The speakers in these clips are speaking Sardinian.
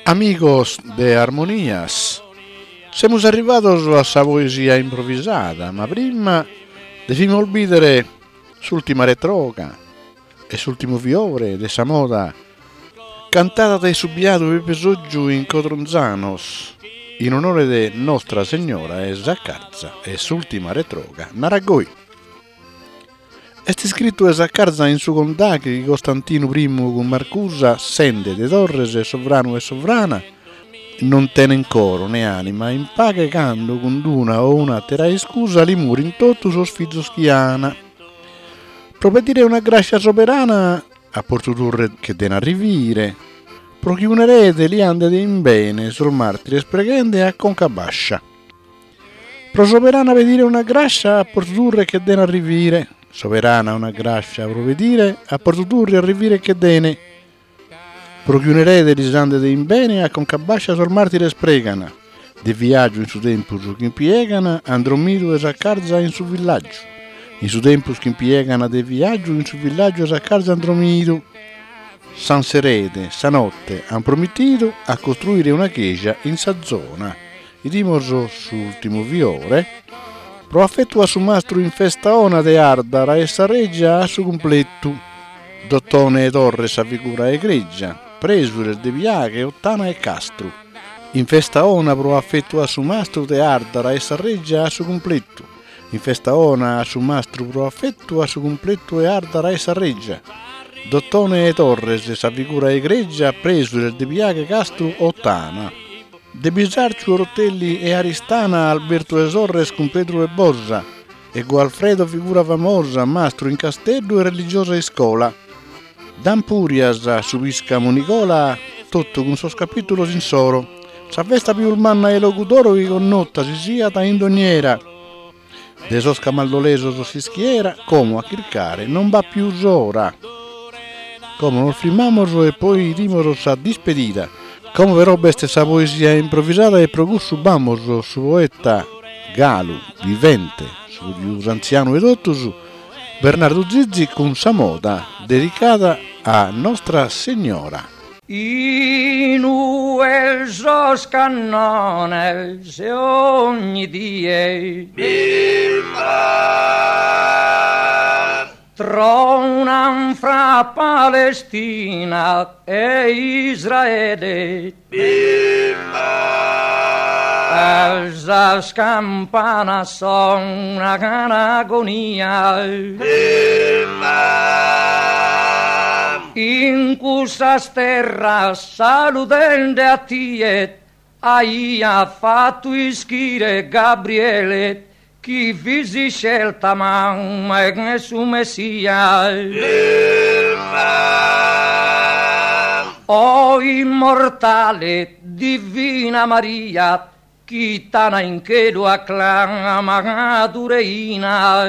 Amigos de Armonias, semus arrivados a sa poesia improvisada, ma prima devimus bìdere s'ùltima retroga e s'ùltimu fiore de sa moda cantada dae su biadu Pepe Sotgiu in Codronzanos in onore de Nostra Segnora 'e Saccarza e s'ùltima retroga narat goi. Est iscritu 'e Saccarza in su Condaghe chi Costantinu primu cun Marcusa sende de Torres sovranu e sovrana non tenen coro ne anima in paghe cando cun d'una o un'atera iscusa li morin totu sos fizos chi ana. Pro pedire una grascia soberana a Portu Turre che den arrivire pro chi un'erede li andet in bene sos martires preghende a conca bascia. Pro soberana pedire una grascia a Portu Turre che den arrivire Soberana una grascia pro pedire a Portu Turre arrivire che dene Pro chi un'erede lis andet in bene a conca bascia sos martires pregan De viaggiu in su tempus ch'impiegan an drommidu 'e Saccarza in su villaggiu In su tempus ch'impiegan de viaggiu in su villaggiu 'e Saccarza an drommidu S'an s'erede sa notte an promittidu a costruire una cheja in sa zona 'Idimos s'ultimu fiore. Pro affettu a su mastru in festa 'ona de Ardara 'e sa Reggia a su cumpletu. D'Ottone 'e Torres sa figura egregia, presures de Piaghe, Ottana e Castru. In festa 'ona pro affettu a su mastru de Ardara 'e sa Reggia a su cumpletu. In festa 'ona a su mastru pro affettu a su cumpletu 'e Ardara 'e sa Reggia. D'Ottone 'e Torres sa figura egregia, presures de Piaghe, Castru, Ottana. De Bisarciu Orotelli e Aristana Albertu 'e Sorres cun Pedru 'e Bosa e Gualfredo figura famosa mastru in Casteddu e religiosa iscola D'Ampurias su piscamu Nigola totu cun sos capitulos insoro sa festa pius manna 'e Logudoro chi connota si siat in dogn'era De sos camaldolesos s'ischiera como a chircare non b'at pius ora. Como nos frimmamos e poi 'idimos sa dispedida. Como però b'est sa poesia improvisada e pro cussu b'amos su poeta galu vivente, su pius antzianu 'e totus, Bernardu Zizi cun sa moda dedicada a Nostra Segnora. In ue sos cannones ogni die Tronan fra Palestina e Israele E sas campanas sonan agonia In cussas terras saludende a tie Aiat fatu ischire Gabriele Chi fis iscelta mamma 'e su Messia. O immortale divina Maria, chi t'ana in chelu acclamadu reina.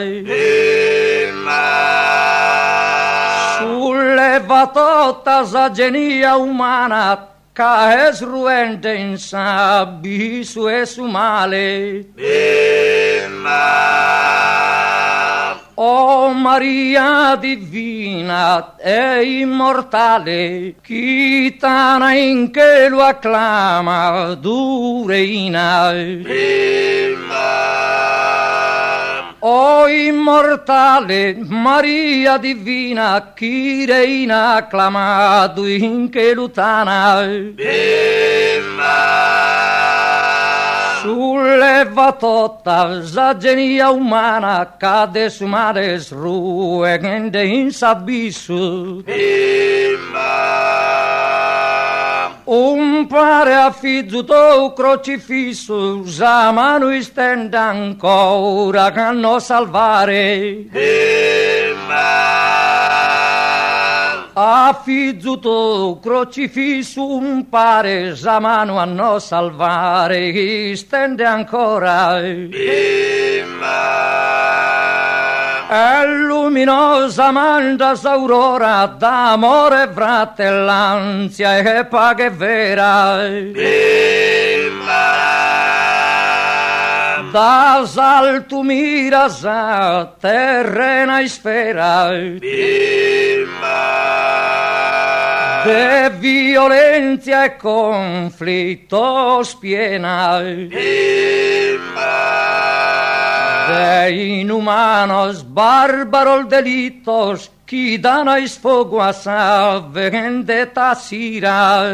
Sulleva tota sa genia umana Ca est ruende in s'abissu 'e su male. O Maria divina e immortale, chi t'ana in chelu acclamadu reina. O immortale Maria divina, Chi reina acclamadu in chelu t'ana. Sulleva tota sa genia umana ca de su male est ruende in s'abissu. Umpare a fizu tou crocifissu sa manu istende ancora a nos salvare. A fizu tou crocifissu umpare sa manu a nos salvare istende ancora. E luminosa manda s'aurora d'amore fratellanzia e paghe vera. Da s'altu mira sa terrena isfera. De violenzia e conflittos piena. De inumanos barbaros delittos chi dana isfogu a sa vendetta s'ira.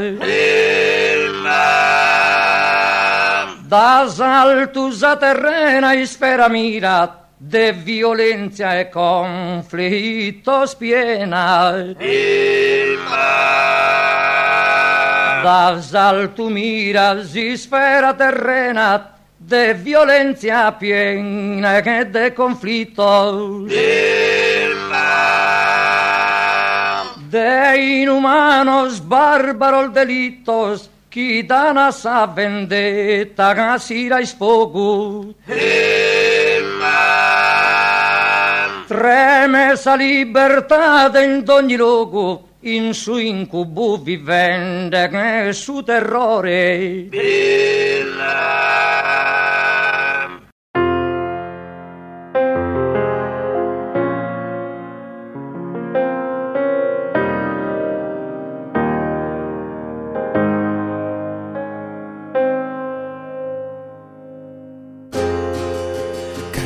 Da s'altu sa terrena isfera mira De violenzia e conflittos piena. Da s'altu mira s'isfera terrena de violenzia piena e de conflittos. De inumanos barbaros delittos Chi dan a sa vendetta s'ira isfogu. Tremet sa libertade in dogni logu in su incubu vivende 'e su terrore.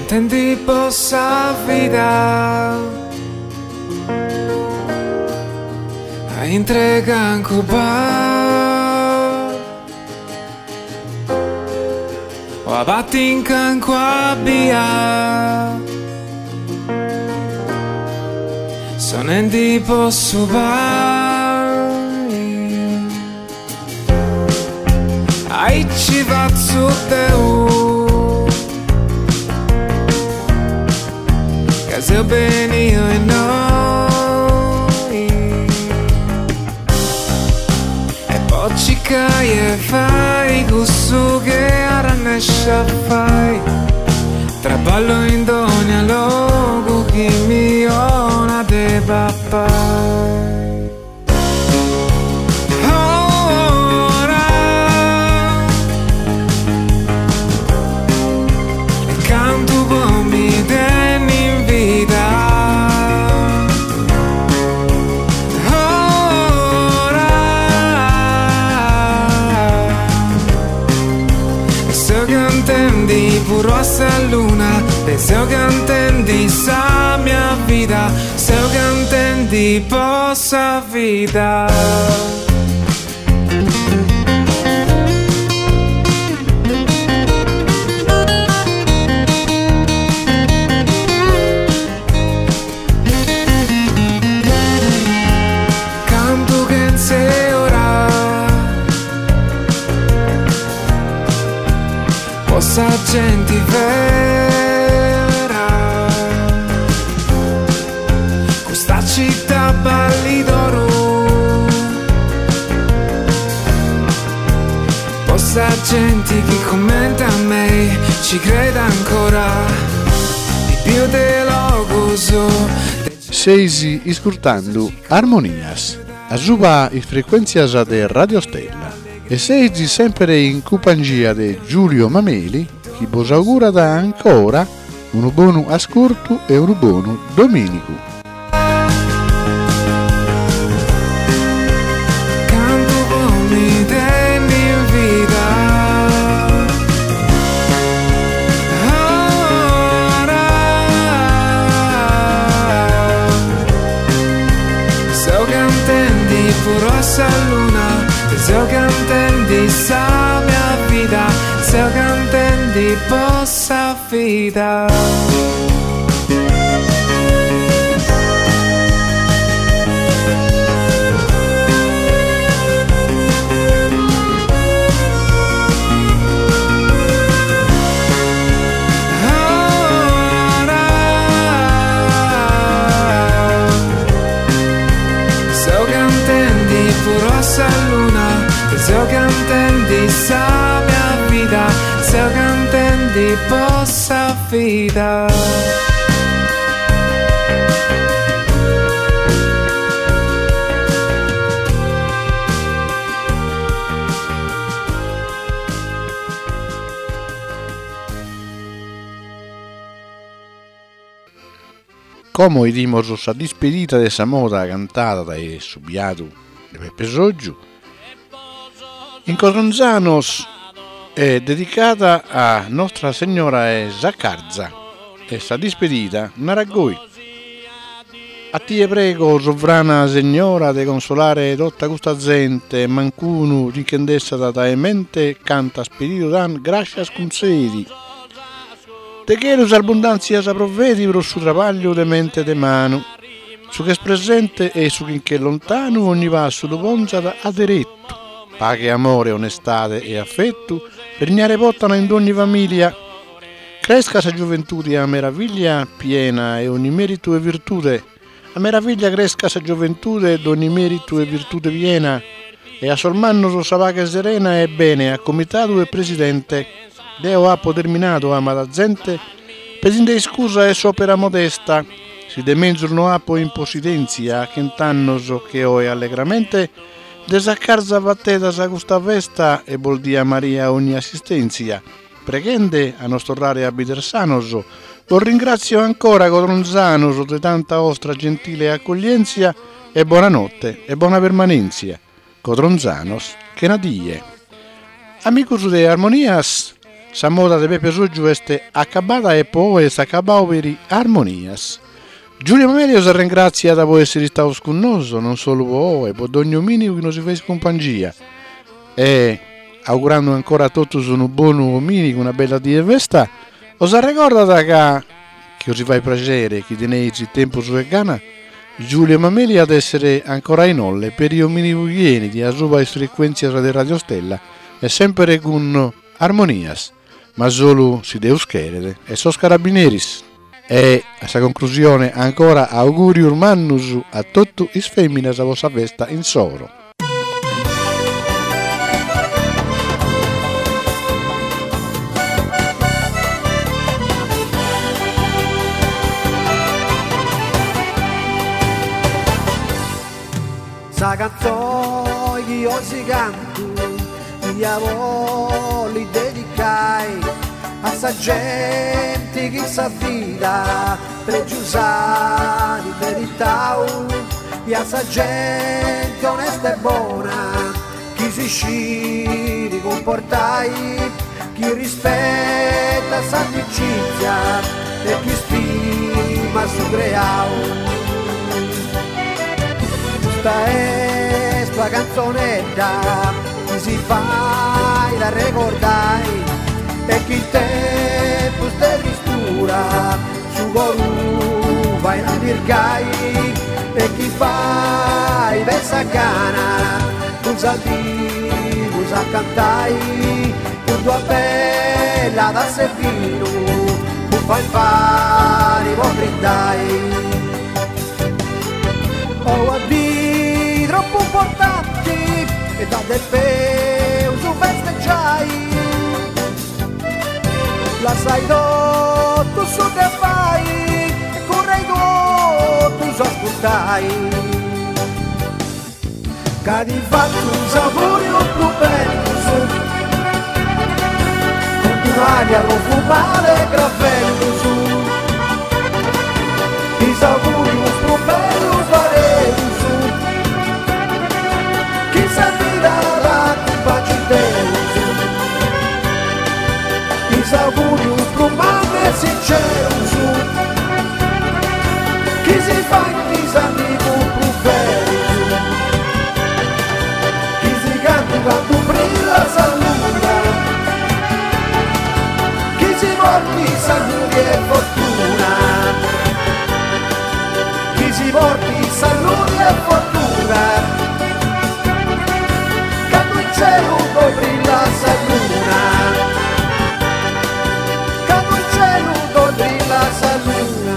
Cantendi po sa vida a intre cancu bar. O abatti in cancua bia Sonendi po su pani Aici fatzu deu Ca seu beniu innoi E po circai 'e fai cussu chi arrennesciu a fai Traballu in dogna logu chi mi 'onat de papai. Seu cantendi sa mia vida Seu cantendi po sa vida. Cantu chentze ora Po sa genti vera Custa città ballit oru Po sa genti chi comente a mei ci creit ancora Biu de logus Seis iscurtando Armonias, asuba is frecuèntzias de Radio Stella e seis semper in cumpangia de Giulio Mameli chi bos augurat ancora unu bonu ascurtu e unu bonu domìnigu. Cantu po mi tenni in vida Ora Seu cantendi puru a sa luna Seu cantendi sa mia vida Seu cantendi po sa vida. Seu cantendi puru a sa luna Seu cantendi sa mia vida Seu cantendi po sa vida. Como 'idimos sa dispedida de sa moda cantada dae su biadu. de Peppe Soggiu, in Codronzanos e dedicada a Nostra Segnora 'e Saccarza e sa dispedida narat goi. A tie prego, sovrana Segnora, de consolare tota custa zente, mancunu ti nche nd'essat dae mente cantas pedidu t'an grascias cuntzedi. De chelu sas bundantzias provedi pro su trabagliu de mente e de manu. Su ch'est presente e su chi nch'est lontanu ogni passu lu ponzat a derettu. Paghe, amore, onestade e affettu regnare potan in dogni familia. Crescat sa gioventude a meraviglia piena 'e ogni meritu e virtude, a meraviglia crescat sa gioventude d'ogni meritu e virtude piena, e a sos mannos sa paghe serena e bene a comitadu e presidente. Deo apo terminadu amada zente pedinde iscusa 'e s'opera modesta, si de menzus no apo in possidenzia a chent'annos che oe allegramente de Saccarza fatedas custa festa e bos diat Maria ogni assistenzia. Preghende a nos torrare a bider sanos, bos ringratzio ancora codronzanos de tanta 'ostra gentile accoglienzia e bona notte e bona permanenzia. Codronzanos chena die. Amigos de Armonias, sa moda de Peppe Soggiu est acabada e po oe est acabau peri Armonias. Giulio Mameli os arrengratziat po essere istaos cun noso, non solu po oe, po dogni ominigu chi nos feis cumpangia. E, augurando ancora a totus unu bonu ominigu, una bella die 'e festa, os arregordat ca, chi os fait praxere chi teneis tempus e gana, Giulio Mameli at essere ancora inoghe peri ominigu chi 'enit asuba is frecuentzias de Radio Stella e sempere cun Armonias, ma solu si Deus cheret e sos carabineris. E, a sa concrusione, ancora augurius mannus a totu is feminas po sa festa insoro. Sa cantzoni chi osi cantu ia bolli dedicai a sa genti chi in sa vida pregius at meritau e a sa genti onesta e bona chi si sciri cumportai chi rispettat s'amicizia e chi stimat su creau. Custa est una cantzonedda chi si fait arregordai e chi in tempus de tristura su coru fait allirgai e chi fait pensai a gana cun s'amigus a cantai cun d'una bella tassa 'e binu bufai impari po brindai. Po una dì tropu importanti e dda depeus festeggiai Lassai totu su de fai e currei totus a ascurtai. Ca ti fatzu is augurius prus bellus Cun d'un'aria profumada 'e cravellus Is augurius prus bellus fadeus Chi sa vida t'acumpangit Deus Is augurius prus mannus e sincerus Chi si faint is amigus prus berus Chi si cantu cantu brillat sa luna Chi si portit saludi e fortuna Chi si portit saludi e fortuna Candu in celu ddoi brillat sa luna Candu in celu ddoi brillat sa luna.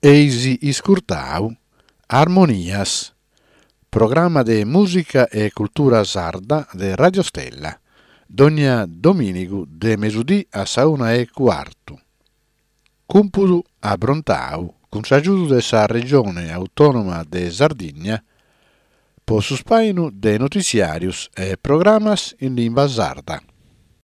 Eis iscurtau Armonias. Programma de mùsica e cultura sarda de Radio Stella, dònnia domìnigu de mesudì a sa una e cuartu. Cumpudu abrontau cun s'agiudu de sa Regione Autònoma de Sardigna po su spàinu de notiziàrios e programas in limba sarda.